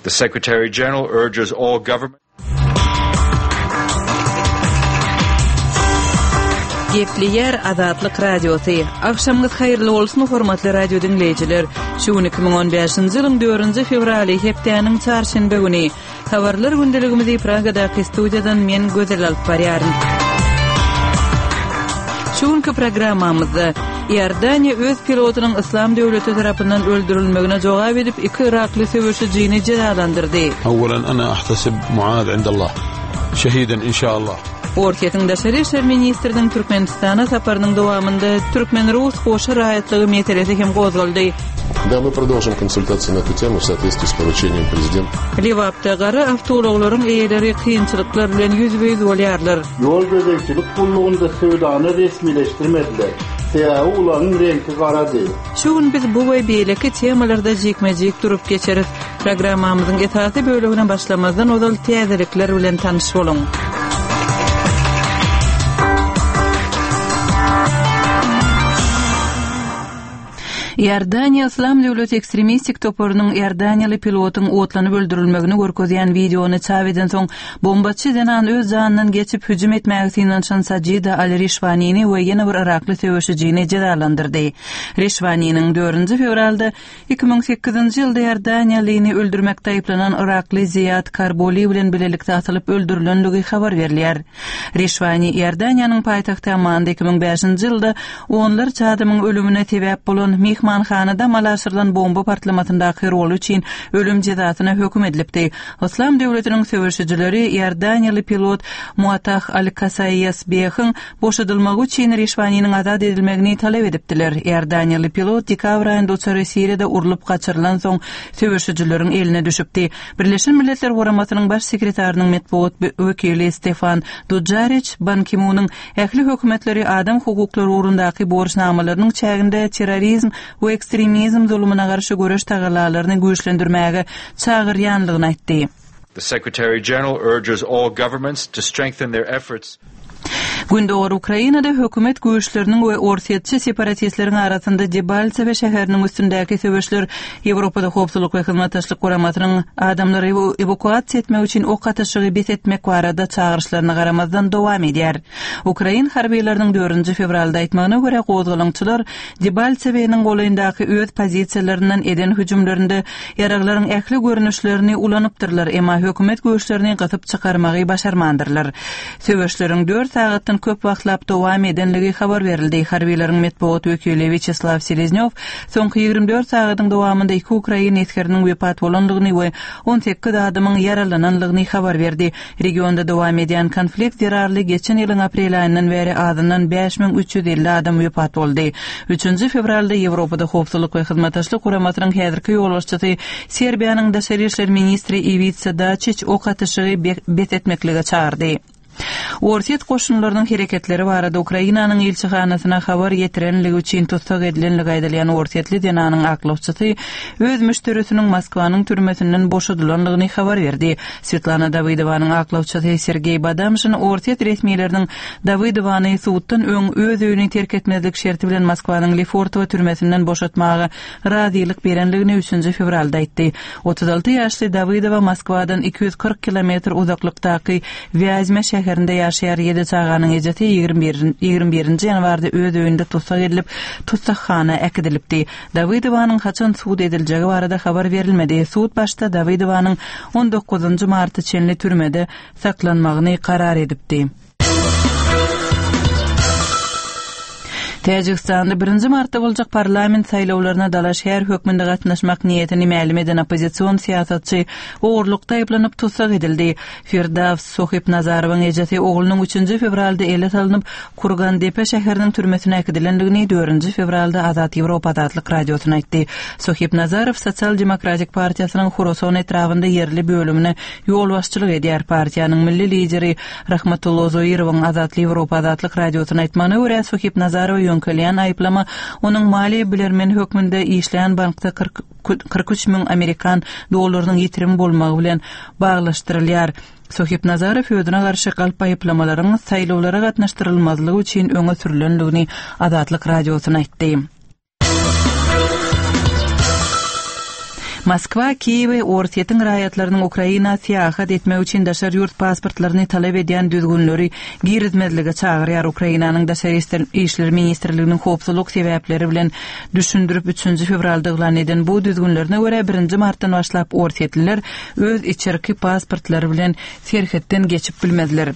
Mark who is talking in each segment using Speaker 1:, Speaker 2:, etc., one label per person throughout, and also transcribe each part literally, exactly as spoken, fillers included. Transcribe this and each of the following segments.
Speaker 1: The Secretary General urges all governments
Speaker 2: Gepleýär Azatlyk Radiosy. Agşamyňyz haýyrly bolsun, hormatly radio diňleýjiler. Şu gün iki müň on bäşinji ýylyň dördünji fewraly, hepdäniň çarşenbe güni. Habarlar gündeligimizi Pragadaky studiýadan men Gözel alyp barýaryn. Şu günki programmamyzda Iordaniýa öz pilotynyň Yslam döwleti tarapyndan öldürilmegine jogap edip iki yrakly söweşijini jezalandyrdy.
Speaker 3: Awwalan ana ahtasib Muaz indallah. Şehiden inşallah.
Speaker 2: Orsýetiň daşary işler ministriniň Türkmenistana saparynyň dowamynda türkmen-rus goşa raýatlygy meselesi hem gozgaldy.
Speaker 4: Да, мы продолжим консультации на эту тему в соответствии с поручением президента.
Speaker 2: Lebapda gara awtoulaglaryň eýeleri kynçylyklar bilen ýüzbe-ýüz bolýarlar.
Speaker 5: Ýol gözegçilik gullugynda söwdany resmileşdirmediler. Sebäbi ulagyň reňki garady.
Speaker 2: Şu gün biz bu we beýleki temalarda jikme-jik durup geçeris. Programmamyzyň esasy bölegine başlamazdan ozal täzelikler bilen tanyş boluň. Iordaniýa Yslam döwleti ekstremistik toparynyň iordaniýaly pilotyň otlanyp öldürilmegini görkezýän wideony çap eden soň, bombaçy zenan öz janyndan geçip hüjüm etmäge synanyşan Sajida al-Rişwanini we ýene bir yrakly söweşijini jezalandyrdy. Rişwaniniň dördünji fewralda iki müň sekizinji ýylda iordaniýalyny öldürmekde aýyplanan yrakly Ziýad Karboli bilen bilelikde atylyp öldürilenligi habar berilýär. Rişwani Iordaniýanyň paýtagty Ammanda iki müň bäşinji ýylda onlarça adamyň ölümine sebäp bolan mehmanhanada amala aşyrylan bomba partlamasyndaky roly üçin ölüm jezasyna höküm edilipdi. Yslam döwletiniň söweşijileri iordaniýaly pilot Muatah al-Kasaýasbehiň boşadylmagy üçin Rişwaniniň azat edilmegini talap edipdiler. Iordaniýaly pilot dekabr aýynda uçary Siriýada urlup gaçyrylan soň söweşijileriň eline düşüpdi. Birleşen Milletler Guramasynyň baş sekretarynyň metbugat wekili Stefan Dujarriç Ban Ki-munyň ähli hökümetleri adam hukuklary ugrundaky borçnamalarynyň çäginde terrorizm we ekstremizm zulumyna garşy göreş tagallalaryny güýçlendirmäge çagyrýanlygyny aýtdy.
Speaker 1: The Secretary General urges all governments to strengthen their efforts.
Speaker 2: Gündogar Ukrainada hökümet güýçleriniň we orsýetçi separatistleriň arasynda Debaltsewe şäheriniň üstündäki söweşler Ýewropada Howpsuzlyk we Hyzmatdaşlyk Guramasynyň adamlary ewakuasiýa etmek üçin ok atyşygy bes etmek barada çagyryşlaryna garamazdan dowam edýär. Ukrain harbylarynyň dördünji fewralda aýtmagyna görä gozgalaňçylar Debaltseweniň golaýyndaky öz pozisiýalaryndan eden hüjümlerinde ýaraglaryň ähli görnüşlerini ulanypdyrlar, emma hökümet güýçlerini gysyp çykarmagy başarmandyrlar. Söweşleriň dört sagatdan köp wagtlap dowam edenligi habar berildi. Harbiýlaryň metbugat wekili Wýaçeslaw Seleznýow soňky ýigrimi dört sagatyň dowamynda iki ukrain esgeriniň wepat bolandygyny we on sekiz adamyň ýaralanandygyny habar berdi. Regionda dowam edýän konflikt zerarly geçen ýylyň aprel aýyndan bäri azyndan bäş müň üç ýüz elli adam wepat boldy. Üçünji fewralda Ýewropada Howpsuzlyk we Hyzmatdaşlyk Guramasynyň häzirki ýolbaşçysy Serbiýanyň daşary işler ministri Iwica Daçiç ok atyşygy bes etmeklige çagyrdy. Orsýet goşunlarynyň hereketleri barada Ukrainanyň ilçihanasyna habar ýetirenligi üçin tussag edilenligi aýdylýan orsýetli zenanyň aklawçysy öz müşderisiniň Moskwanyň türmesinden boşadylanlygyny habar berdi. Svetlana Dawidowanyň aklawçysy Sergeý Badamşin Orsýet resmileriniň Dawidowany suddan öň öz öýüni terk etmezlik şerti bilen Moskwanyň Lefortowo türmesinden boşatmaga razylyk berenligini üçünji fewralda aýtdy. Otuz alty ýaşly Dawidowa Moskwadan iki ýüz kyrk kilometr uzaklykdaky Wýazme şäherinde ýaşaýar. Ýedi çaganyň ejesi ýigrimi birinji ýanwarda öz öýünde tussag edilip, tussaghana äkidilipdi. Dawidowanyň haçan sud ediljegi barada habar berilmedi. Sud başda Dawidowanyň on dokuzynjy marta çenli türmede saklanmagyny karar edipdi. Täjigistanda birinji martda boljak parlament saýlawlaryna dalaşgär hökmünde gatnaşmak niýetini mälim eden oppozision syýasatçy ogurlykda aýyplanyp tussag edildi. Firdavs Sohibnazarowyň ejesi oglunyň üçünji fewralda ele salynyp Kurgandepe şäheriniň türmesine äkidilendigini dördünji fewralda Azat Ýewropa Azatlyk radiosyna aýtdy. Sohibnazarow Sosial Demokratik partiýasynyň Huroson etrabynda ýerli bölümine ýolbaşçylyk edýär. Partiýanyň milli lideri Rahmatullo Zoirowyň Azat Ýewropa Azatlyk radiosyna aýtmagyna görä Sohibnazarow ýöňkelýän aýyplama onuň maliýe bilermen hökmünde işleýän bankda kyrk üç müň amerikan dollarynyň ýitirim bolmagy bilen baglaşdyrylýar. Sohibnazarow özüne garşy galp aýyplamalaryň saýlawlara gatnaşdyrylmazlygy üçin öňe sürülendigini Azatlyk radiosyna aýtdy. Moskwa Kiýewi Orsýetiň raýatlarynyň Ukraina syýahat etmek üçin daşary ýurt pasportlaryny talap edýän düzgünleri girizmezlige çagyrýar. Ukrainanyň Daşary işler ministrliginiň howpsuzlyk sebäpleri bilen düşündirip üçünji fewralda yglan eden bu düzgünlerine görä birinji martdan başlap orsýetliler öz içerki pasportlary bilen serhetden geçip bilmezler.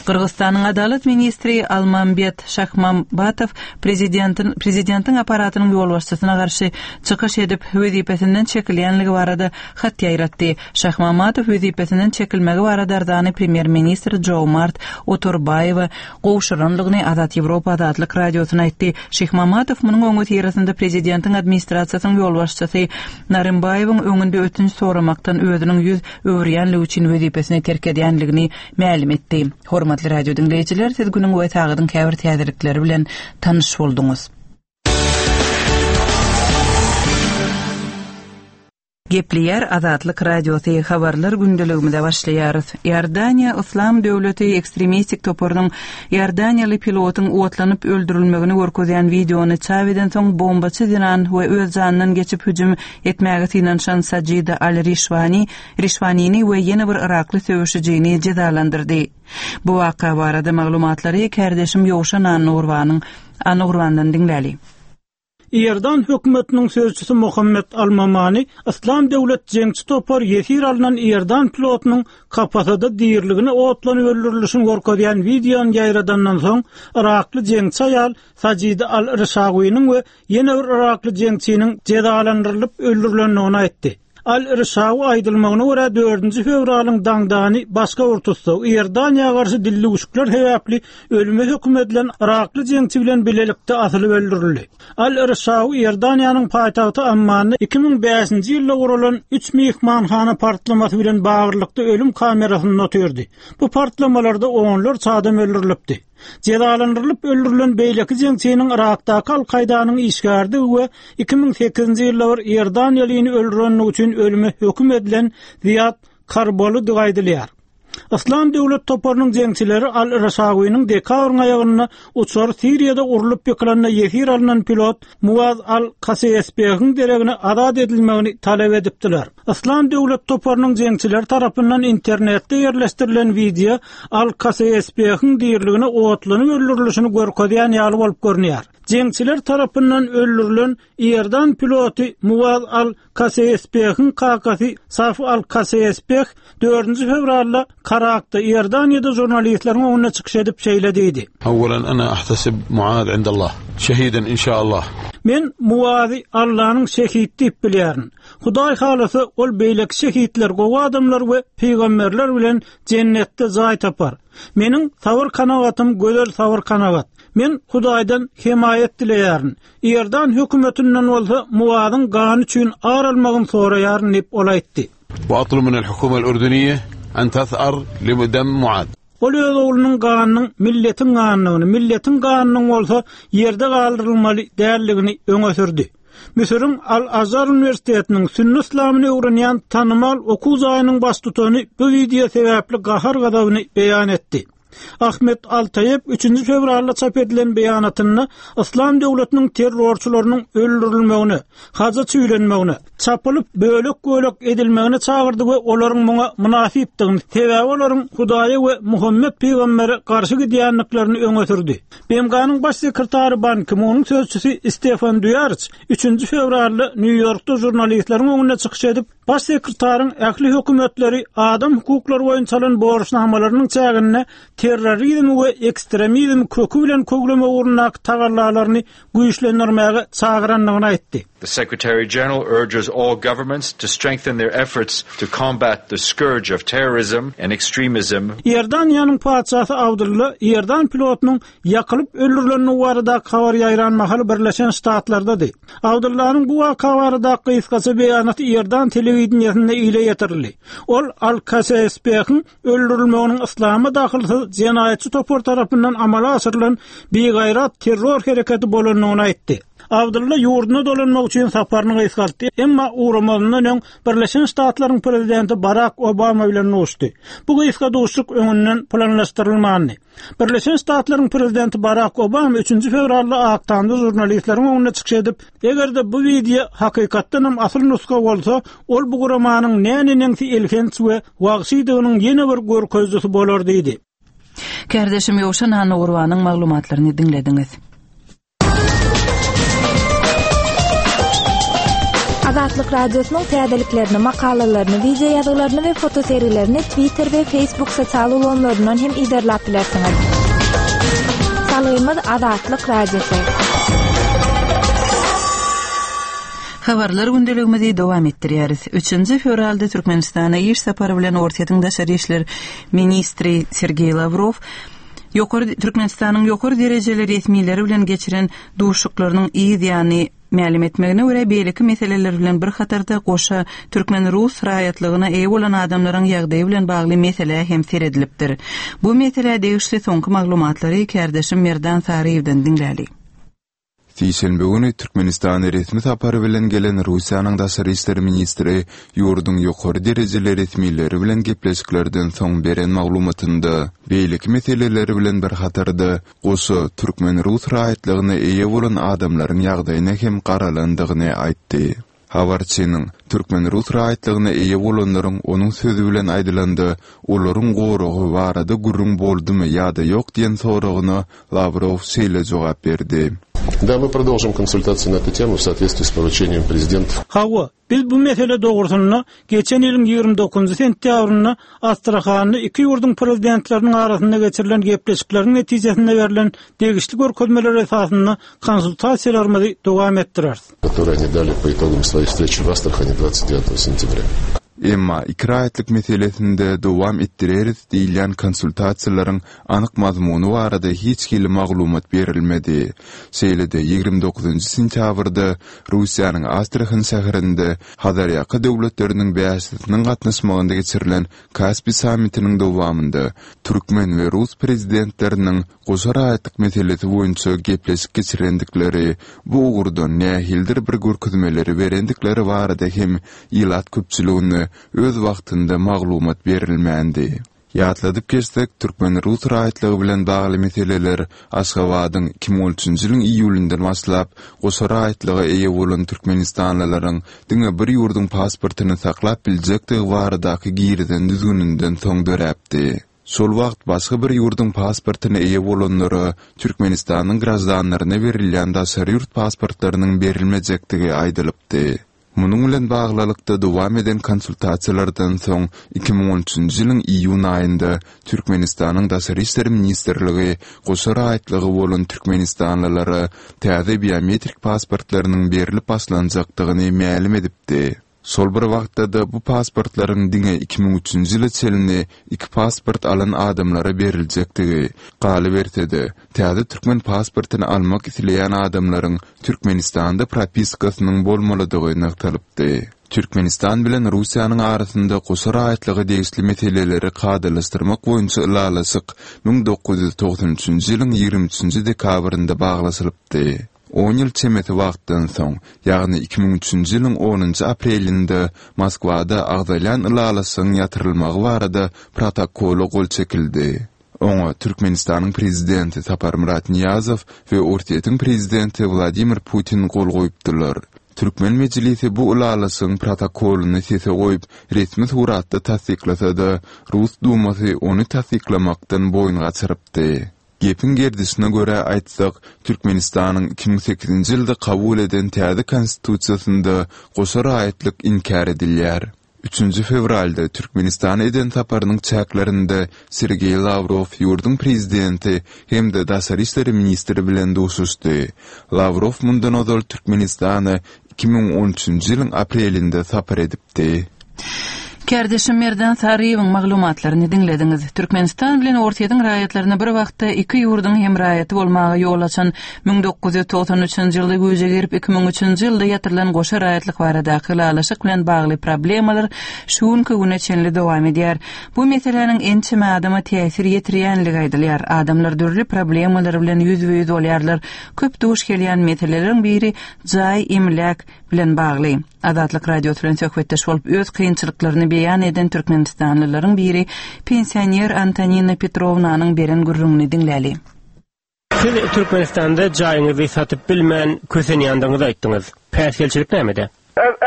Speaker 2: Gyrgyzystanyň Adalat ministri Almambet Şahmambatow prezidentiň prezidentiň apparatynyň ýolbaşçysyna garşy çykyş edip wezipesinden çekilýänligi barada hat ýaýratdy. Şahmamatow wezipesinden çekilmegi barada arzany premýer-ministr Joomart Otorbaýewa gowşuranlygyny Azat Ýewropa Azatlyk radiosyna aýtdy. Şahmamatow munuň öňüsyrasynda prezidentiň administrasiýasynyň ýolbaşçysy Narymbaýewiň öňünde ötünç soramakdan özüniň ýüz öwürýänligi üçin wezipesini terk edýänligini mälim etdi. Hormatly radio dinleýjiler, siz günüň we sagadyň käbir täzelikleri bilen tanyş bolduňyz. Gepleýär Azatlyk Radiosy habarlar gündeligimize başlaýarys. Iordaniýa Islam döwleti ekstremistik toparynyň Iordaniýaly pilotyň otlanyp öldürilmegini görkezýän wideony çap eden soň bombaçy zenan we öz janyndan geçip hüjüm etmäge synanyşan Sajida Al-Rişwani, Rişwanini we ýene bir Irakly söweşijini jezalandyrdy. Bu waka barada maglumatlary kardeşim Ýowşan Annurbanyň Annurbandan diňläli.
Speaker 6: Iordan hökümetiniň sözçüsi Muhammed Almamani Islam döwlet jeňçi topar ýesir alynan Iordan pilotynyň kapasada dirligini otlanyp öldürilişini görkezýän wideony ýaýradandan soň Irakly jeňçi aýal Sajida Al-Rişawiniň we ýene bir Irakly jeňçiniň jezalandyrylyp öldürilendigini aýtdy. Al-Rişawi aýdylmagyna görä dördünji fewralyň daňdany başga bir tussag Iordaniýa garşy dillewüşikler sebäpli ölüme höküm edilen Irakly jeňçi bilen bilelikde asylyp öldürildi. Al-Rişawi Iordaniýanyň paýtagty Ammanda iki müň bäşinji ýylda guralan üç mehmanhana partlamasy bilen baglylykda ölüm kamerasynda oturdy. Bu partlamalarda onlarça adam öldürilipdi. Jezalandyrylyp öldürilen beýleki jeňçiniň Irakdaky Al-Kaýdanyň işgärdigi we iki müň sekizinji ýylda bir Iordaniýalyny öldürenligi üçin ölüme höküm edilen Ziýad Karbolydygy aýdylýar. Islam döwlet toparynyň jeňçileri Al-Rişawiniň dekabryň aýagynda uçar Siriýada urlup ýykylanda ýesir alynan pilot Muaz Al-Kasesbehiň deregine azat edilmegini talap edipdiler. Islam döwlet toparynyň jeňçileri tarapyndan internetde ýerleşdirilen wideo Al-Kasesbehiň dirligine otlanyp öldürilişini görkezýän ýaly bolup görünýär. Jeňçiler tarapyndan öldürilen Iordan piloty Muaz Al-Kasesbehiň kakasy Saf Al-Kasesbeh dördünji fewralda Karakda Iordaniýada žurnalistleriň öňünde çykyş edip şeýle diýdi.
Speaker 3: Awwalan ana ahtasib Muaz indallah şehiden inşallah.
Speaker 6: Men Muazy Allah'yň şehit diýip bilýärin. Hudaý halasa ol beýleki şehitler, gowy adamlar we peygamberler bilen cennetde jaý tapar. Meniň sabyr kanagatym gözel sabyr kanagat. Men Hudaýdan hemaýat dileýärin. Iordan hökümetinden bolsa Muazyň gany üçin ar almagyny soraýaryn diýip ol aýtdy.
Speaker 3: وأطلب من الحكومة الأردنية أن تثأر لدم معاذ.
Speaker 6: Ol öz oglunyň ganynyň milletin ganyny, milletin ganynyň bolsa ýerde galdyrylmaly dälligini öňe sürdi. Müsüriň Al-Azhar Universitetiniň Sünni Islamyny öwrenýän tanymal okuw jaýynyň baştutany bu wideo sebäpli gahar gazabyny beýan etdi. Ahmet Altaýew üçünji fewralda çap edilen beýanatynda Islam döwletiniň terrorçylarynyň öldürilmegine, haja çüýlenmegine, çapylyp bölek-bölek edilmegine çagyrdy we olaryň muňa mynasypdygyny, sebäbi olaryň Hudaýa we Muhammed peýgambere garşy gidýändiklerini öňe sürdi. B M G-nyň baş sekretary Ban Ki-munyň sözçüsi Stefan Dujarriç üçünji fewralda Nýu-Ýorkda žurnalistleriň öňünde çykyş edip, baş sekretaryň ähli hökümetleri adam hukuklary boýunça alan borçnamalarynyň çäginde terrorizmi we ekstremizmi köki bilen kögleme ugrundaky tagallalaryny güýçlendirmäge çagyrandygyny aýtdy.
Speaker 1: The Secretary General urges all governments to strengthen their efforts to combat the scourge of terrorism and extremism.
Speaker 6: Iordaniýanyň patyşasy Abdulla Iordan pilotynyň ýakylyp öldürilenligi baradaky habar ýaýran mahaly Birleşen Ştatlardady. Abdullanyň bu waka baradaky gysgaça beýanaty Iordan telewideniýesinde ile ýetirildi. Ol Al-Kasesbehiň öldürilmeginiň Islama dahylsyz jenaýatçy topar tarapyndan amala aşyrylan bigaýrat terror hereketi bolandygyny aýtdy. Abdylla ýurduna dolanmak üçin saparyny gysgaltdy. Emma ugramazyndan öň Birleşen Ştatlaryň prezidenti Barak Obama bilen duşdy. Bu gysga duşuşyk öňünden planlaşdyrylmandy. Birleşen Ştatlaryň prezidenti Barak Obama üçünji fewralda Ak Tamda žurnalistleriň öňünde çykyş edip, eger-de bu wideo hakykatdan hem asyl nusga bolsa, ol bu guramanyň näneneňsi elhenç we wagşydygynyň ýene bir görkezijisi bolar diýdi.
Speaker 2: Kärdeşim Ýowşan Annagurbanyň maglumatlaryny diňlediňiz.
Speaker 7: Azatlyk Radiosynyň täzeliklerini, makalalaryny, wideo ýazgylaryny we fotosergilerini Twitter we Facebook sosial ulgamlaryndan hem yzarlap bilersiňiz. Salgymyz Azatlyk Radiosy.
Speaker 2: Habarlar gündeligimizi dowam etdirýäris. Üçünji fewralda Türkmenistana iş sapary bilen Orsýetiň daşary işler ministri Sergeý Lawrow ýokary Türkmenistanyň ýokary derejeli resmileri bilen geçiren duşuşyklarynyň yz ýany mälim etmegine görä beýleki meseleler bilen bir hatarda goşa türkmen-rus raýatlygyna eýe bolan adamlaryň ýagdaýy bilen bagly meselä hem seredilipdir. Bu meselä degişli soňky maglumatlary kärdeşim Merdan Saryýewden diňläli.
Speaker 8: Sişenbe güni Türkmenistana resmi sapary bilen gelen Russiýanyň daşary işler ministri ýurduň ýokary derejeli resmileri bilen gepleşiklerden soň beren maglumatynda beýleki meseleleri bilen bir hatarda goşa türkmen-rus raýatlygyna eýe bolan adamlaryň ýagdaýyna hem garalandygyny aýtdy. Habarçynyň türkmen-rus raýatlygyna eýe bolanlaryň onuň sözi bilen aýdylanda olaryň goragy barada gürrüň boldumy ýa-da ýok diýen soragyna Lawrow şeýle jogap berdi.
Speaker 4: Да, мы продолжим консультации на эту тему в соответствии с поручением президента.
Speaker 6: Hawa, biz bu mesele dogrusynda geçen ýylyň ýigrimi dokuzynjy sentýabrynda Astrahan'da iki ýurduň prezidentleriniň arasynda geçirilen gepleşikleriň netijesinde berlen degişli görkezmeler esasynda konsultasiýalarymyzy dowam etdireris.
Speaker 4: Которые они дали по итогам своей встречи в Астрахани двадцать девятого сентября.
Speaker 8: Emma iki raýatlyk meselesinde dowam etdireris diýilýän konsultasiýalaryň anyk mazmuny barada hiç hili maglumat berilmedi. Şeýle-de ýigrimi dokuzynjy sentýabrda Russiýanyň Astrahan şäherinde Hazarýaka döwletleriniň bäşisiniň gatnaşmagynda geçirilen Kaspi sammitiniň dowamynda türkmen we rus prezidentleriniň goşa raýatlyk meselesi boýunça gepleşik geçirendikleri, bu ugurdan nähildir bir görkezmeleri berendikleri barada hem ilat köpçüligine öz wagtynda maglumat berilmändi. Ýatladyp geçsek, türkmen-rus raýatlygy bilen bagly meseleler Aşgabadyň iki müň on üçünji ýylyň iýulyndan başlap goşa raýatlyga eýe bolan türkmenistanlylaryň diňe bir ýurduň pasportyny saklap biljekdigi baradaky girizen düzgüninden soň döräpdi. Şol wagt başga bir ýurduň pasportyna eýe bolanlara Türkmenistanyň graždanlaryna berilýän daşary ýurt pasportlarynyň berilmejekdigi aýdylypdy. Munuň bilen baglylykda dowam eden konsultasiýalardan soň iki müň on üçünji ýylyň iýun aýynda Türkmenistanyň Daşary işler ministrligi goşa raýatlygy bolan türkmenistanlylara täze biometrik pasportlarynyň berilip başlanjakdygyny mälim edipdi. Şol bir wagtda-da bu pasportlaryň diňe iki müň üçünji ýyla çenli iki pasport alan adamlara beriljekdigi, galyberse-de, täze türkmen pasportyny almak isleýän adamlaryň Türkmenistanda propiskasynyň bolmalydygy nygtalypdy. Türkmenistan bilen Russiýanyň arasynda goşa raýatlyga degişli meseleleri kadalaşdyrmak boýunça ylalaşyk müň dokuz ýüz togsan üçünji ýylyň ýigrimi üçünji dekabrynda baglaşylypdy. On ýyl çemesi wagtdan soň, ýagny iki müň üçünji ýylyň onunjy aprelinde Moskwada agzalýan ylalaşygyň ýatyrylmagy barada protokola gol çekildi. Oňa Türkmenistanyň prezidenti Saparmyrat Niýazow we Orsýetiň prezidenti Wladimir Putin gol goýupdylar. Türkmen mejlisi bu ylalaşygyň protokolyny sese goýup, resmi suratda tassyklasa-da, Rus dumasy ony tassyklamakdan boýun gaçyrypdy. Gepiň gerdişine görä aýtsak, Türkmenistanyň iki müň sekizinji ýylda kabul eden täze konstitusiýasynda goşa raýatlyk inkär edilýär. Üçünji fewralda Türkmenistana eden saparynyň çäklerinde Sergeý Lawrow ýurduň prezidenti hem-de daşary işler ministri bilen duşuşdy. Lawrow mundan ozal Türkmenistana iki müň on üçünji ýylyň aprelinde sapar edipdi.
Speaker 2: Kärdeşim Merdan Saryýewiň maglumatlaryny diňlediňiz. Türkmenistan bilen Orsýetiň raýatlaryna bir wagtda iki ýurduň hem raýaty bolmaga ýol açan müň dokuz ýüz togsan üçünji ýylda güýje girip, iki müň üçünji ýylda ýatyrylan goşa raýatlyk baradaky ylalaşyk bilen bagly problemalar şu günki güne çenli dowam edýär. Bu meseläniň ençeme adama täsir ýetirýänligi aýdylýar. Adamlar dürli problemalar bilen ýüzbe-ýüz bolýarlar. Köp duş gelýän meseleleriň biri jaý, emläk bilen bagly. Azatlyk Radiosy bilen söhbetdeş bolup, öz kynçylyklaryny beýan eden türkmenistanlylaryň biri pensioner Antonina Petrownanyň beren gürrüňini diňläli.
Speaker 9: Siz Türkmenistanda jaýyňyzy satyp bilmän kösenýändigiňizi aýtdyňyz. Päsgelçilik nämede?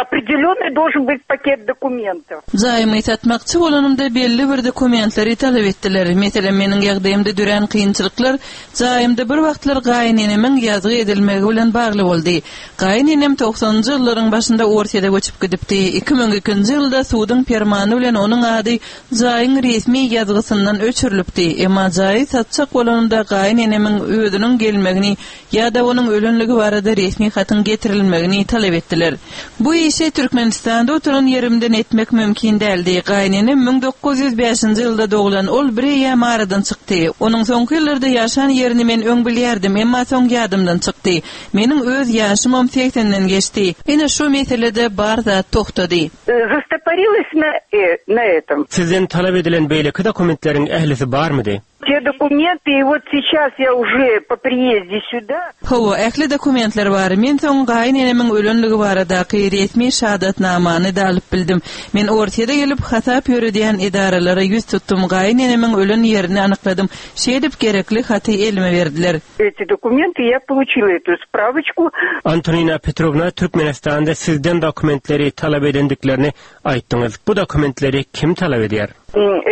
Speaker 10: Определенный должен быть пакет документов.
Speaker 2: Jaýymy satmakçy bolanymda belli bir dokumentleri talap etdiler. Meselem, meniň ýagdaýymda dörän kynçylyklar jaýymda bir wagtlar gaýynenemiň ýazgy edilmegi bilen bagly boldy. Gaýynenem togsanynjy ýyllaryň başynda Orsýete göçüp gidipdi. Iki müň ikinji ýylda suduň permany bilen onuň ady jaýyň resmi ýazgysyndan öçürilipdi. Emma jaýy satjak bolanymda gaýynenemiň özüniň gelmegini ýa-da onuň ölenligi barada resmi hatyň getirilmegini talap etdiler. Bu işi Türkmenistanda oturan ýerimden etmek mümkin däldi. Gaýynenem müň dokuz ýüz bäşinji ýylda doglan, ol bir eýýäm aradan çykdy. Onuň soňky ýyllarda ýaşan ýerini men öň bilýärdim, emma soň ýadymdan çykdy. Meniň öz ýaşymam segsenden geçdi. Ine şu meselede bar zat tohtady.
Speaker 10: Застопорилась на, э, на этом.
Speaker 9: Sizden talap edilen beýleki dokumentleriň ählisi barmydy?
Speaker 10: Те документы, и вот сейчас я уже по приезде сюда.
Speaker 2: Hawa, ähli dokumentler bar. Men soň gaýynenemiň ölenligi baradaky resmi şahadatnamany da alyp bildim. Men Orsýete gelip hasap ýöredýän edaralara ýüz tutdum. Gaýynenemiň ölen ýerini anykladym. Şeýdip gerekli haty elime berdiler.
Speaker 10: Эти документы я получила эту справочку.
Speaker 9: Antonina Petrovna, Türkmenistanda sizden dokumentleri talap edendiklerini aýtdyňyz. Bu dokumentleri kim talap edýär?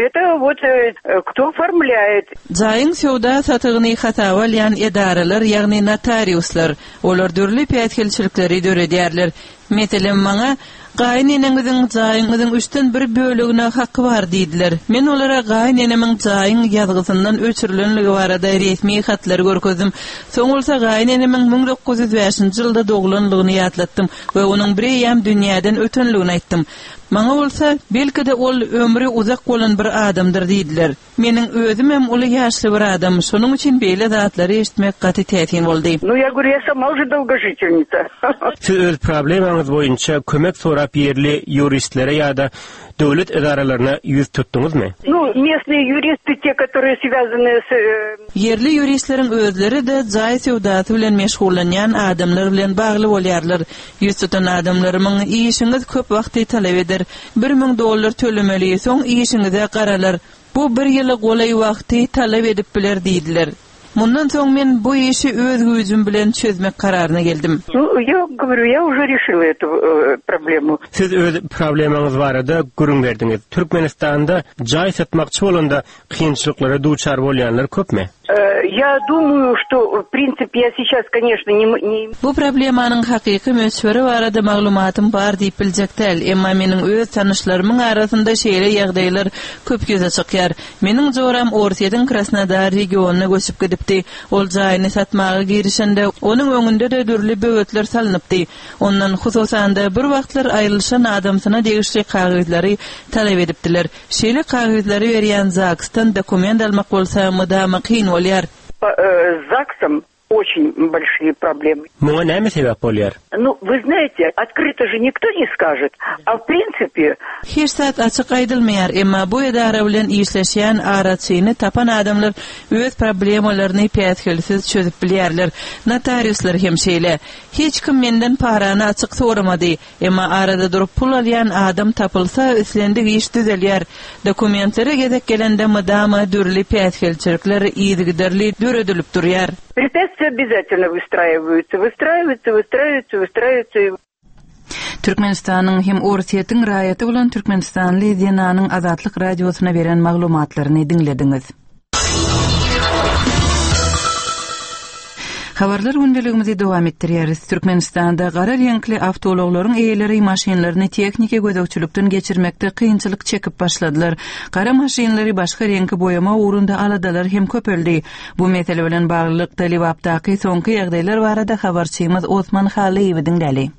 Speaker 10: Это вот, э, кто оформляет.
Speaker 2: Jaýyň söwda satygyny hasaba alýan edaralar, ýagny notariuslar, olar dürli päsgelçilikleri döredýärler. Meselem, maňa gaýyneneňiziň jaýyňyzyň üçden bir bölegine haky bar diýdiler. Men olara gaýynenemiň jaýyň ýazgysyndan öçürilenligi barada resmi hatlary görkezdim. Soň bolsa gaýynenemiň müň dokuz ýüz bäşinji ýylda doglanlygyny ýatlatdym we onuň bir eýýäm dünýäden ötenligini aýtdym. Maňa bolsa, belki-de ol ömri uzak bolan bir adamdyr diýdiler. Meniň özümem uly ýaşly bir adam, şonuň üçin beýle zatlary eşitmek gaty täsin boldy.
Speaker 10: Ну, я говорю, я сама уже долгожительница.
Speaker 9: Siz öz problemaňyz boýunça kömek sorap ýerli ýuristlere ýa-da döwlet edaralaryna ýüz tutduňyzmy?
Speaker 10: Ну, местные юристы, те, которые связаны с, э,
Speaker 2: Ýerli ýuristleriň özleri-de jaý söwdasy bilen meşgullanýan adamlar bilen bagly bolýarlar. Ýüz tutan adamlarymyň işiňiz köp wagty talap eder. Bir müň dollar tölemeli, soň işiňize garalar. Bu bir ýyla golaý wagty talap edip biler diýdiler. Mundan soň men bu işi öz güýjüm bilen çözmek kararyna geldim.
Speaker 10: Ну, я говорю, я уже решила эту, э, проблему.
Speaker 9: Siz öz problemaňyz barada gürrüň berdiňiz. Türkmenistanda jaý satmakçy bolanda kynçylyklara duçar bolýanlar köpmi?
Speaker 10: Э, я думаю, что, в принципе, я сейчас, конечно, не м-, не
Speaker 2: Bu problemanyň hakyky möçberi barada maglumatym bar diýip biljek däl, emma meniň öz tanyşlarymyň arasynda şeýle ýagdaýlar köp ýüze çykýar. Meniň joram Orsýetiň Krasnodar regionyna göçüp gidipdi. Ol jaýyny satmaga girişende onuň öňünde de dürli böwetler salynypdy. Ondan hususan-da bir wagtlar aýrylyşan adamsyna degişli kagyzlary talap edipdiler. Şeýle kagyzlary berýän ZAGS-dan dokument almak bolsa mydama kyn bolýar.
Speaker 10: По, э, с ЗАГСом очень большие проблемы.
Speaker 9: Muňa näme sebäp bolýar?
Speaker 10: Ну, вы знаете, открыто же никто не скажет, а в принципе...
Speaker 2: Hiç zat açyk aýdylmaýar, emma bu edara bilen işleşýän araçyny tapan adamlar öz problemalaryny päsgelsiz çözüp bilýärler. Notariuslar hem şeýle. Hiç kim menden parany açyk soramady, emma arada durup pul alýan adam tapylsa, islendik iş düzelýär. Dokumentlere gezek gelende mydama dürli päsgelçilikler yzygiderli döredilip durýar.
Speaker 10: Препятствия обязательно выстраиваются, выстраиваются, выстраиваются, выстраиваются.
Speaker 2: Türkmenistanyň hem Orsýetiň raýaty bolan Türkmenistanly Zenanyň Azatlyk radiosyna beren maglumatlaryny diňlediňiz. Habarlar gündeligimizi dowam etdirýäris. Türkmenistanda gara reňkli awtoulaglaryň eýeleri maşynlaryny tehniki gözegçilikden geçirmekde kynçylyk çekip başladylar. Gara maşynlary başga reňki boýama ugrunda aladalar hem köpeldi. Bu mesele bilen baglylykda Lebapdaky soňky ýagdaýlar barada habarçymyz Osman Halyýewi diňläli.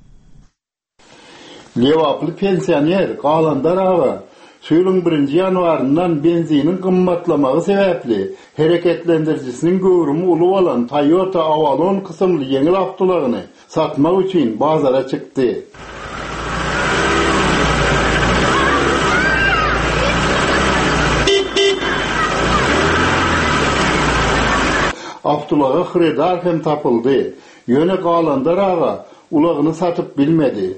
Speaker 5: Lebaply pensioner Galandar aga Şu ýylyň birinji ýanwaryndan benziniň gymmatlamagy sebäpli hereketlendirijisiniň göwrümi uly bolan Toyota Avalon kysymly ýeňil awtoulagyny satmak üçin bazara çykdy. Awtoulaga hyrydar hem tapyldy. Ýöne Galandar aga ulagyny satyp bilmedi.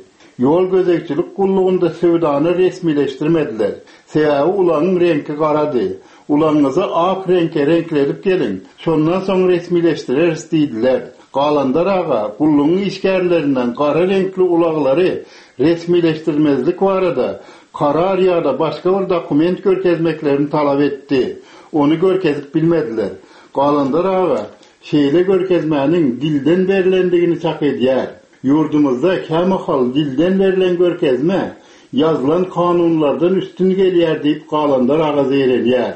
Speaker 5: Ýol gözegçilik gullugynda söwdany resmileşdirmediler. Sebäbi ulagyň reňki garady. Ulagyňyzy ak reňke reňkledip geliň, şondan soň resmileşdireris diýdiler. Galandar aga gullugyň işgärlerinden gara reňkli ulaglary resmileşdirmezlik barada karar ýa-da başga bir dokument görkezmeklerini talap etdi. Ony görkezip bilmediler. Galandar aga şeýle görkezmäniň dilden berlendigini çak edýär. Ýurdumyzda kämahal dilden berlen görkezme ýazylan kanunlardan üstün gelýär diýip Galandar aga zeýrenýär.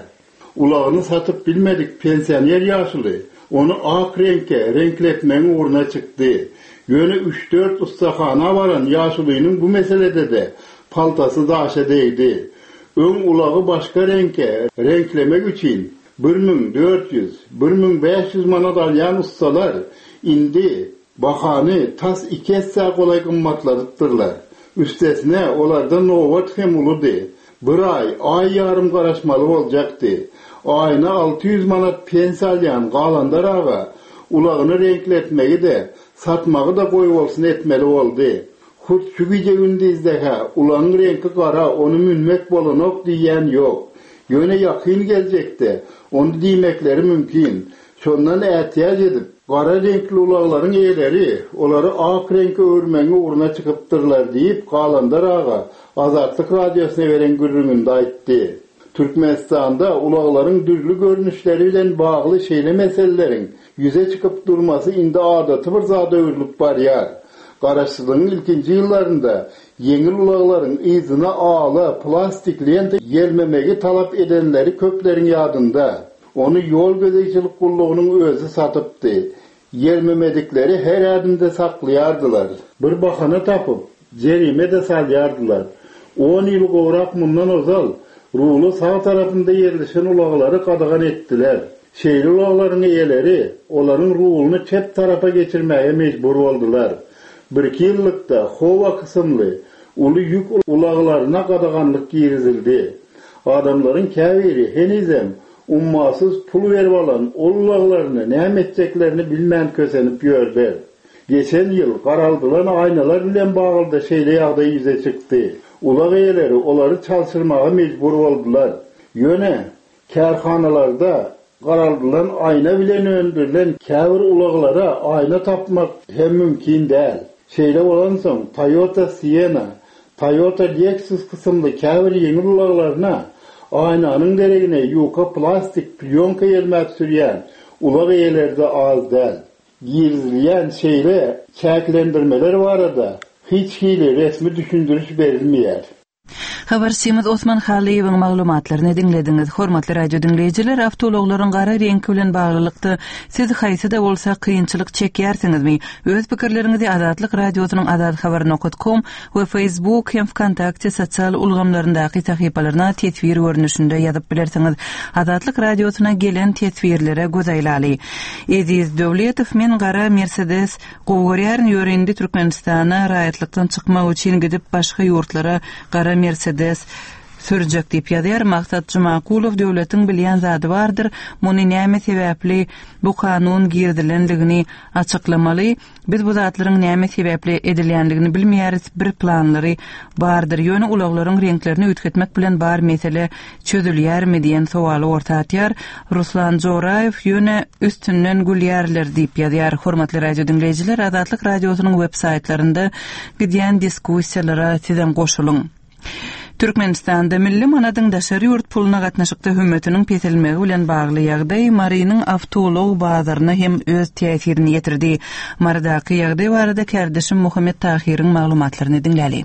Speaker 5: Ulagyny satyp bilmedik pensioner ýaşuly ony ak reňke reňkletmegiň ugruna çykdy. Ýöne üç-dört ussahana baran ýaşulynyň bu meselede-de paltasy daşa degdi. Öň ulagy başga reňke reňklemek üçin bir müň dört ýüz, bir müň bäş ýüz manat alýan ussalar indi bahany tas iki essä golaý gymmatladypdyrlar. Üstesine olarda nobat hem uludy. Bir aý, aý ýarym garaşmaly boljakdy. Aýyna alty ýüz manat pensiýa alýan Galandar aga ulagyny reňkletmegi-de, satmagy-da goýbolsun etmeli boldy. Hut şu gije-gündizde-hä ulagyň reňki gara, ony münmek bolanok diýýän ýok. Ýöne ýakyn geljekde ony diýmekleri mümkin. Şondan ätiýaç edip, gara reňkli ulaglaryň eýeleri olary ak reňke öwürmegiň ugruna çykypdyrlar diýip, Galandar aga Azatlyk Radiosyna beren gürrüňinde aýtdy. Türkmenistanda ulaglaryň dürli görnüşleri bilen bagly şeýle meseleleriň ýüze çykyp durmasy indi adaty bir zada öwrülip barýar. Garaşsyzlygyň ilkinji ýyllarynda ýeňil ulaglaryň yzyna ala plastik lenta ýelmemegi talap edenleri köpleriň ýadynda. Ony ýol gözegçilik gullugynyň özi satypdy. Ýelmemedikleri her ädimde saklaýardylar. Bir bahana tapyp, jerime-de salýardylar. On ýyl gowrak mundan ozal ruly sag tarapynda ýerleşen ulaglary gadagan etdiler. Şeýle ulaglaryň eýeleri olaryň ruluny çep tarapa geçirmäge mejbur boldular. Birki ýyllykda howa kysymly uly ýük ulaglaryna gadaganlyk girizildi. Adamlaryň käbiri henizem ummasyz pul berip alan ol ulaglaryny näme etjeklerini bilmän kösenip ýördi. Geçen ýyl garaldylan aýnalar bilen bagly-da şeýle ýagdaý ýüze çykdy. Ulag eýeleri olary çalşyrmaga mejbur boldular. Ýöne kärhanalarda garaldylan aýna bilen öndürilen käbir ulaglara aýna tapmak hem mümkin däl. Şeýle bolansoň Toyota Sienna, Toyota Lexus kysymly käbir ýeňil ulaglaryna aýnanyň deregine ýuka plastik plýonka ýelmäp sürýän ulag eýeleri-de az däl. Girizilýän şeýle çäklendirmeler barada hiç hili resmi düşündiriş berilmeýär.
Speaker 2: Habarçymyz Osman Halyýewiň maglumatlaryny diňlediňiz. Hormatly radio diňleýjiler, awtoulaglaryň gara reňki bilen baglylykda siz haýsy-da bolsa kynçylyk çekýärsiňizmi? Öz pikirleriňizi Azatlyk Radiosynyň azathabar nokat kom we Facebook hem Wkontakte sosial ulgamlaryndaky sahypalaryna teswir görnüşinde ýazyp bilersiňiz. Azatlyk Radiosyna gelen teswirlere göz aýlaly. Eziz Döwletow, men gara Mercedes gowy görýärin, ýöne indi Türkmenistana raýatlykdan çykmak üçin gidip başga ýurtlara gara Mercedes sürjek diýip ýazýar. Maksat Jumakulow, döwletiň bilýän zady bardyr, muny näme sebäpli bu kanun girizilendigini açyklamaly. Biz bu zatlaryň näme sebäpli edilýändigini bilmeýäris, bir planlary bardyr. Ýöne ulaglaryň reňklerini üýtgetmek bilen bar mesele çözülýärmi diýen sowaly orta atýar. Ruslan Joraýew, ýöne üstünden gülýärler diýip ýazýar. Hormatly radio diňleýjiler, Azatlyk Radiosynyň web saýtlarynda gidýän diskussiýalara sizem goşulyň. Türkmenistanda milli manadyň daşary ýurt puluna gatnaşykda hümmetiniň peselmegi bilen bagly ýagdaý Marynyň awtoulag bazaryna hem öz täsirini ýetirdi. Marydaky ýagdaý barada kärdeşim Muhammet Tahyryň maglumatlaryny diňläli.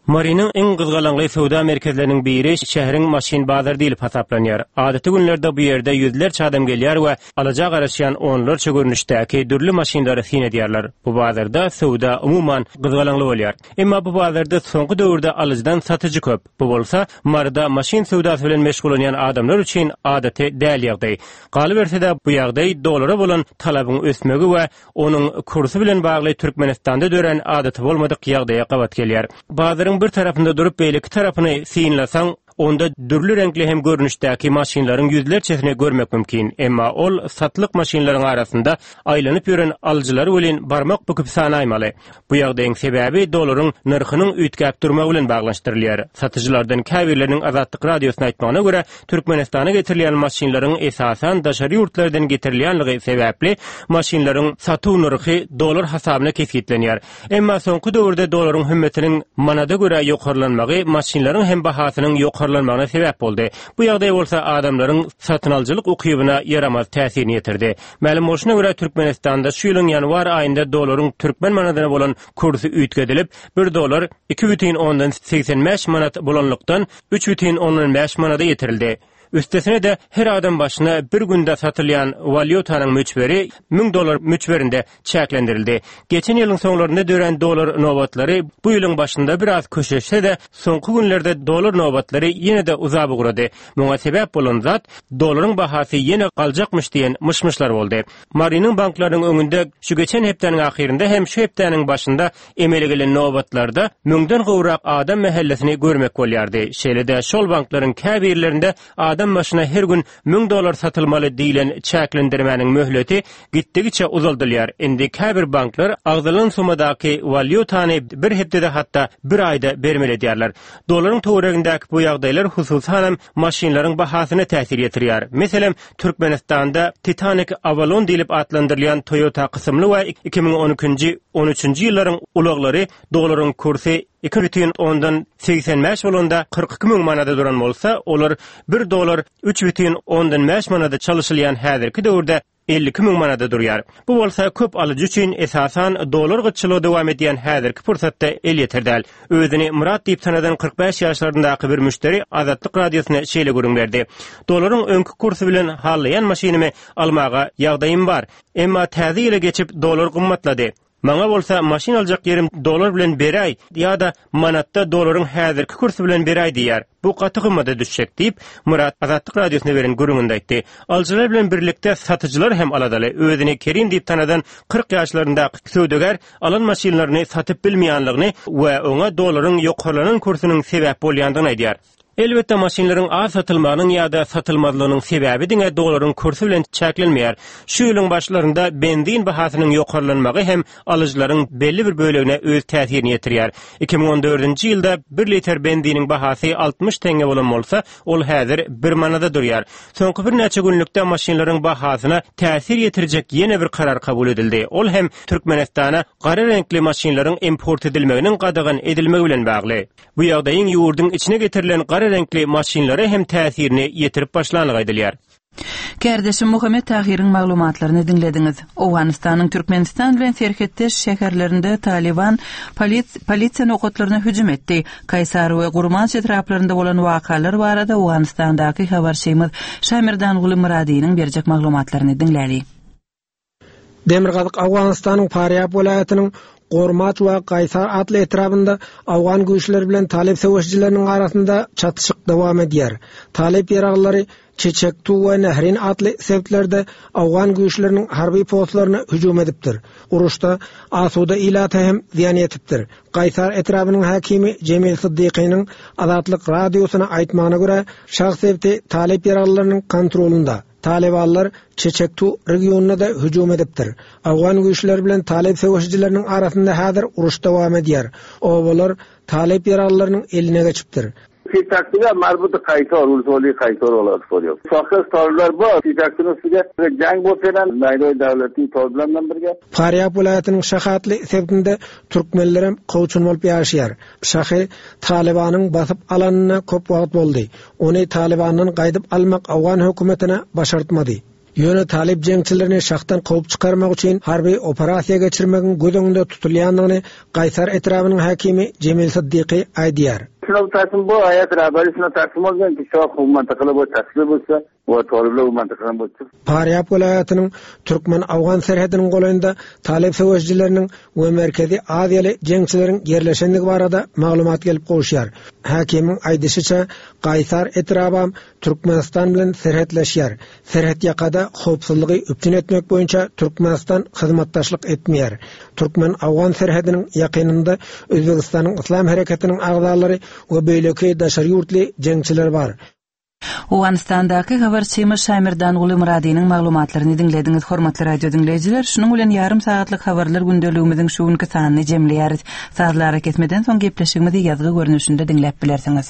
Speaker 9: Marynyň iň gyzgalaňly söwda merkezleriniň biri şäheriň maşyn bazary diýlip hasaplanýar. Adaty günlerde bu ýerde ýüzlerçe adam gelýär we alaja garaşýan onlarça görnüşdäki dürli maşynlary syn edýärler. Bu bazarda söwda umuman gyzgalaňly bolýar. Emma bu bazarda soňky döwürde alyjydan satyjy köp. Bu bolsa Maryda maşyn söwdasy bilen meşgullanýan adamlar üçin adaty däl ýagdaý. Galyberse-de bu ýagdaý dolara bolan talabyň ösmegi we onuň kursy bilen bagly Türkmenistanda dörän adaty bolmadyk ýagdaýa gabat gelýär. Bazaryň bir tarapynda durup beýleki tarapyny synlasaň, onda dürli reňkli hem görnüşdäki maşynlaryň ýüzlerçesini görmek mümkin. Emma ol satlyk maşynlaryň arasynda aýlanyp ýören alyjylar welin barmak büküp sanaýmaly. Bu ýagdaýyň sebäbi dolaryň nyrhynyň üýtgäp durmagy bilen baglanyşdyrylýar. Satyjylardan käbirleriniň Azatlyk Radiosyna aýtmagyna görä, Türkmenistana getirilýän maşynlaryň esasan daşary ýurtlardan getirilýänligi sebäpli maşynlaryň satuw nyrhy dolar hasabyna kesgitlenýär. Emma soňky döwürde dolaryň hümmetiniň manada görä ýokarlanmagy maşynlaryň hem bahasynyň ýokarlanmagyna sebäp boldy. Bu ýagdaý bolsa adamlaryň satyn alyjylyk ukybyna ýaramaz täsirini ýetirdi. Mälim bolşuna görä Türkmenistanda şu ýylyň ýanwar aýynda dolaryň türkmen manadyna bolan kursy üýtgedilip, bir dolar iki bütin ondan segsen bäş manat bolanlykdan üç bütin ondan bäş manada ýetirildi. Üstesine de her adam başyna bir günde satylýan walýutanyň möçberi müň dolar möçberinde çäklendirildi. Geçen ýylyň soňlarynda dörän dolar nobatlary bu ýylyň başynda biraz köşeşse-de, soňky günlerde dolar nobatlary ýene-de uzap ugrady. Muňa sebäp bolan zat dolaryň bahasy ýene galjakmyş diýen myş-myşlar boldy. Marynyň banklarynyň öňünde şu geçen hepdäniň ahyrynda hem şu hepdäniň başynda emele gelen nobatlarda müňden gowrak adam mähellesini görmek bolýardy. Şeýle-de şol banklaryň käbirlerinde adam başyna her gün müň dolar satylmaly diýlen çäklendirmäniň möhleti gitdigiçe uzaldylýar. Indi käbir banklar agzalan sumadaky walýutany bir hepdede hatda bir aýda bermeli edýärler. Dolaryň töweregindäki bu ýagdaýlar hususanam maşynlaryň bahasyna täsir ýetirýär. Meselem, Türkmenistanda Titanic Avalon diýlip atlandyrylýan Toyota kysymly we iki müň on ikinji, on üçünji ýyllaryň ulaglary dolaryň kursy iki bütin ondan segsen bäş bolanda kyrk iki müň manada duran bolsa, olar bir dolar üç bütin ondan bäş manada çalyşylýan häzirki döwürde elli iki müň manada durýar. Bu bolsa köp alyjy üçin esasan dolar gytçylygy dowam edýän häzirki pursatda elýeter däl. Özüni Murat diýip tanadan kyrk bäş ýaşlaryndaky bir müşderi Azatlyk Radiosyna şeýle gürrüň berdi. Dolaryň öňki kursy bilen hallaýan maşynymy almaga ýagdaýym bar. Emma täze ýyla geçip dolar gymmatlady. Maňa bolsa maşyn aljak ýerim dolar bilen beräý ýa-da manatda dolaryň häzirki kursy bilen beräý diýýär. Bu gaty gymmata düşjek diýip, Murat Azatlyk Radiosyna beren gürrüňinde aýtdy. Alyjylar bilen birlikde satyjylar hem aladaly. Özüni Kerim diýip tanadan kyrk ýaşlaryndaky söwdagär alan maşynlaryny satyp bilmeýänligini we oňa dolaryň ýokarlanan kursunyň sebäp bolýandygyny aýdýar. Elbetde maşynlaryň az satylmagynyň ýa-da satylmazlygynyň sebäbi diňe dolaryň kursy bilen çäklenmeýär. Şu ýylyň başlarynda benzin bahasynyň ýokarlanmagy hem alyjylaryň belli bir bölegine öz täsirini ýetirýär. iki müň on dördünji ýylda bir litr benziniň bahasy altmyş tenge bolan bolsa, ol häzir bir manada durýar. Soňky birnäçe günlükde maşynlaryň bahasyna täsir ýetirjek ýene bir karar kabul edildi. Ol hem Türkmenistana gara reňkli maşynlaryň import edilmeginiň gadagan edilmegi bilen bagly. Bu ýagdaýyň ýurduň içine getirilen gara reňkli maşynlara hem täsirini ýetirip başlanlygy aýdylýar.
Speaker 2: Kärdeşim Muhammet Tahiriň maglumatlaryny diňlediňiz. Owganystanyň Türkmenistan bilen serhetdeş şäherlerinde Taliban polis-, polisiýa nokatlaryna hüjüm etdi. Kaýsar we Gurmanç etraplarynda bolan wakalar barada Owganystandaky habarçymyz Şamirdanguly Muradiniň berjek maglumatlaryny diňläli.
Speaker 11: Demirgazyk Owganystanyň Farýab welaýatynyň Gormaç we Kaýsar atly etrabynda Awgan güýçleri bilen Talip söweşijileriniň arasynda çatyşyk dowam edýär. Talip ýaraglary Çeçektu we Nehrin atly sebitlerde Awgan güýçleriniň harby postlaryna hüjüm edipdir. Uruşda asuda ilata hem zyýan ýetipdir. Kaýsar etrabynyň hakimi Jemil Siddiqiniň Azatlyk radiosyna aýtmagyna görä, şah sebiti Talip ýaraglarynyň kontrolunda. Talibanlar Çeçektu regionyna da hüjüm edipdir. Awgan güýçleri bilen Talip söweşijileriniň arasynda häzir uruş dowam edýär. Obalar Talip ýaraglarynyň eline geçipdir.
Speaker 12: Çeçektular marbut Kaýsar, Ulsoli Kaýsar olar soruyor. Şahs tarlar bar, Çeçektunyň üstüne jang bolup gelen Naýroý döwleti tozlandan birge.
Speaker 11: Farýab welaýatynyň Şahatly sebitinde türkmenlerem kowçun bolup ýaşaýar. Şahy Talibanyň basyp alanyna köp wagt boldy. Ony Talibandan gaýdyp almak Awgan hökümetine başartmady. Ýöne talyp jeňçilerini şahdan kowup çykarmak üçin harby operasiýa geçirmegiň göz öňünde tutulýandygyny Gaýsar etrabynyň häkimi Jemil Syddyky aýdýar. Parýab welaýatynyň türkmen-owgan serhediniň golaýynda talyp söweşijileriniň we merkezi aziýaly jeňçileriň ýerleşendigi barada maglumat gelip gowuşýar. Häkimiň aýdyşyça, Gaýsar etrabam Türkmenistan bilen serhetleşýär. Serhetýakada howpsuzlygy üpjün etmek boýunça Türkmenistan hyzmatdaşlyk etmeýär. Türkmen-owgan serhediniň ýakynynda Özbegistanyň Yslam hereketiniň agzalary we beýleki daşary ýurtly jeňçiler bar.
Speaker 2: Owganystandaky habarçymyz Şaýmerdanguly Myradynyň maglumatlaryny diňlediňiz, hormatly radio diňleýjiler. Şunuň bilen ýarym sagatlyk habarlar gündeligimiziň şu günki sanyny jemleýäris. Sazly arakesmeden soň gepleşigimizi ýazgy görnüşinde diňläp bilersiňiz.